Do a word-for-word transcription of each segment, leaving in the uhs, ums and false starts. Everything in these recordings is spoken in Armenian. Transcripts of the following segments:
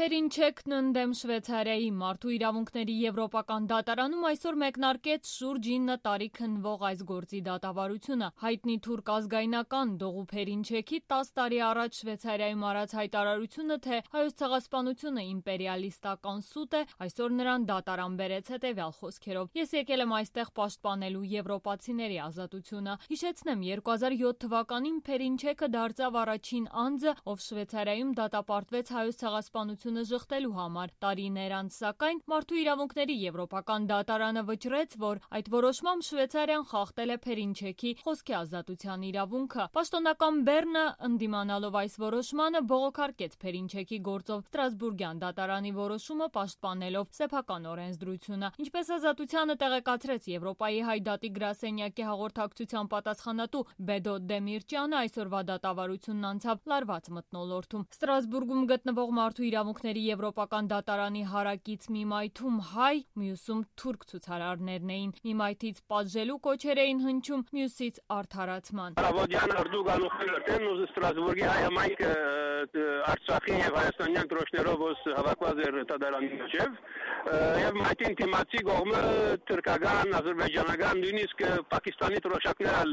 Փերինչեքն ընդդեմ Շվեյցարիայի մարդու իրավունքների եվրոպական դատարանում այսօր մեկնարկեց շուրջ ինը տարի քննվող այս գործի դատավարությունը։ Հայտնի թուրք ազգայնական Դողու Փերինչեքի տաս տարի առաջ Շվեյցարիայում արած հայտարարությունը, թե Հայոց ցեղասպանությունը իմպերիալիստական սուտ է, այսօր նրան դատարան բերեց հետևյալ խոսքերով. Ես եկել եմ այստեղ պաշտպանելու եվրոպացիների ազատությունը։ Հիշեցնեմ, երկու հազար յոթ թվականին Փերինչեքը դարձավ առաջին անձը, ով Շվեյցարիայում դատապարտվեց Հայոց ցեղասպանությունը ժխտելու համար։ Տարիներ անց, սակայն, մարդու իրավունքների եվրոպական դատարանը վճռեց, որ այդ որոշմամբ Շվեյցարիան խախտել է Փերինչեքի խոսքի ազատության իրավունքը։ Պաշտոնական Բեռնը, ընդդիմանալով այս որոշմանը, բողոքարկեց Փերինչեքի գործով Ստրասբուրգյան դատարանի որոշումը, պաշտպանելով սեփական օրենսդրությունը։ Ինչպես ազատությանը տեղեկացրեց Եվրոպայի հայ դատի գրասենյակի հաղորդակցության պատասխանատու Բեդո Դեմիրճյանը, այսօրվա դատավարությունն անցավ լարված մթնոլորտում։ Ստրասբուրգում գտնվող մարդու իրավունքների եվրոպական դատարանի հարակից մի մայթում հայ, մյուսում թուրք ցուցարարներն էին։ Մի մայթից պատժելու կոչեր էին հնչում, մյուսից արդարացման։ Ստրասբուրգի հայամայնքը Արցախի եւ հայաստանյան դրոշներով հավաքված էր դատարանի միջև, եւ մայթին թիմացի կողմը թուրքական, ադրբեջանական, նույնիսկ Պակիստանի դրոշակներ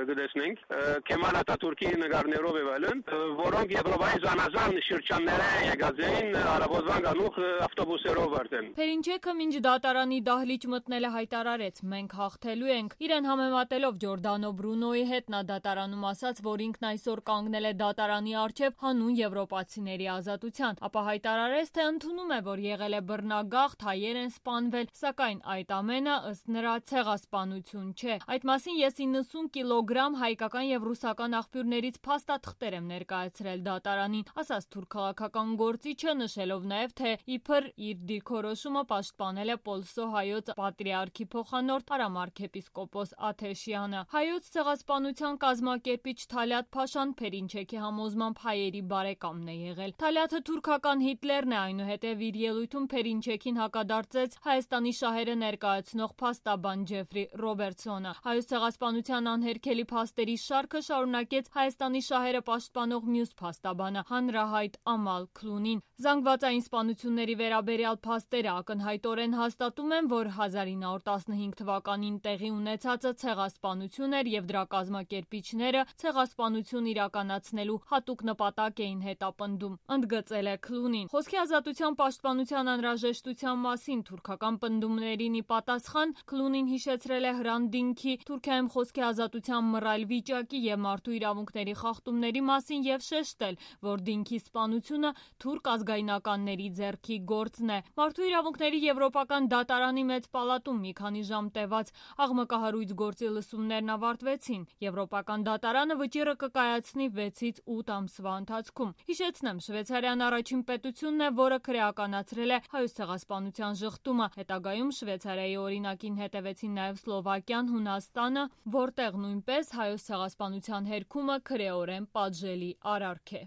գտեցնենք, Քեմալ Աթաթուրքի նկարներով եւ այլն, որոնք Եվրոպայի զանազան շրջաններ եկած էին արաբոզվան գանուխ ավտոբուսերով արդեն։ Փերինչեքը մինչ դատարանի դահլիճ մտնելը հայտարարեց. մենք հաղթելու ենք։ Իրեն համեմատելով Ջորդանո Բրունոյի հետ նա դատարանում ասաց, որ ինքն այսօր կանգնել է դատարանի առջև հանուն եվրոպացիների ազատության, ապա հայտարարեց, թե ընդունում է, որ եղել է բռնագաղթ, հայեր են սպանվել, սակայն այդ ամենը ըստ նրա ցեղասպանություն չէ։ Այդ մասին ես իննսուն կիլոգրամ հայկական եւ ռուսական աղբյուրներից փաստաթղթեր եմ ներկայացրել դատարանին, ասաց թուրք քաղաքական գործիչը, նշելով նաեւ, թե իբր իր դիրքորոշումը պաշտպանել է Պոլսո հայոց պատրիարքի փոխանորդ Արամ arczepiskopos Աթեշյանը։ Հայոց ցեղասպանության կազմակերպիչ Թալյատ Փաշան Փերինչեքի համոզմամբ հայերի բարեկամն է եղել։ Թալյաթը թուրքական Հիտլերն է, այնուհետև իր ելույթում Փերինչեքին հակադարձեց Հայաստանի շահերը ներկայացնող փաստաբան Ջեֆրի Ռոբերտսոնը։ Հայոց ցեղասպանության անհերքելի փաստերի շարքը շարունակեց Հայաստանի շահերը պաշտպանող մյուս փաստաբանը, հանրահայտ Ամալ Քլունին։ Զանգվածային սպանությունների վերաբերյալ փաստերը ակնհայտորեն հաստատում են, որ հազար ինը հարյուր տասնհինգ թվականին տեղի ունեցածը ցեղասպանություն էր եւ դրա կազմակերպիչները ցեղասպանություն իրականացնելու հատուկ նպատակ էին հետապնդում, ընդգծել է Քլունին։ Խոսքի ազատության պաշտպանության անհրաժեշտության մասին թուրքական պնդումներին ի պատասխան Քլունին հիշեցրել է Հրանտ-Դինքի Թուրքիայում խոսքի ազատության մռայլ վիճակի եւ մարդու իրավունքների խախտումների մասին եւ շեշտել, որ Դինքի սպանությունը թուրք ազգայնականների ձեռքի գործն է։ Մարդու իրավունքների եվրոպական դատարանի մեծ պալատում մի քանի ժամ տևած աղմկահարույց գործի լսումներն ավարտվեցին։ Եվրոպական դատարանը վճիռը կկայացնի վեցից ութ ամսվա ընթացքում։ Հիշեցնեմ, Շվեյցարիան առաջին պետությունն է, որը քրեականացրել է Հայոց ցեղասպանության ժխտումը։ Հետագայում Շվեյցարիայի օրինակին հետևեցին նաև Սլովակիան, Հունաստանը, որտեղ նույնպես Հայոց ցեղասպանության հերքումը քրեորեն պատժելի արարք է։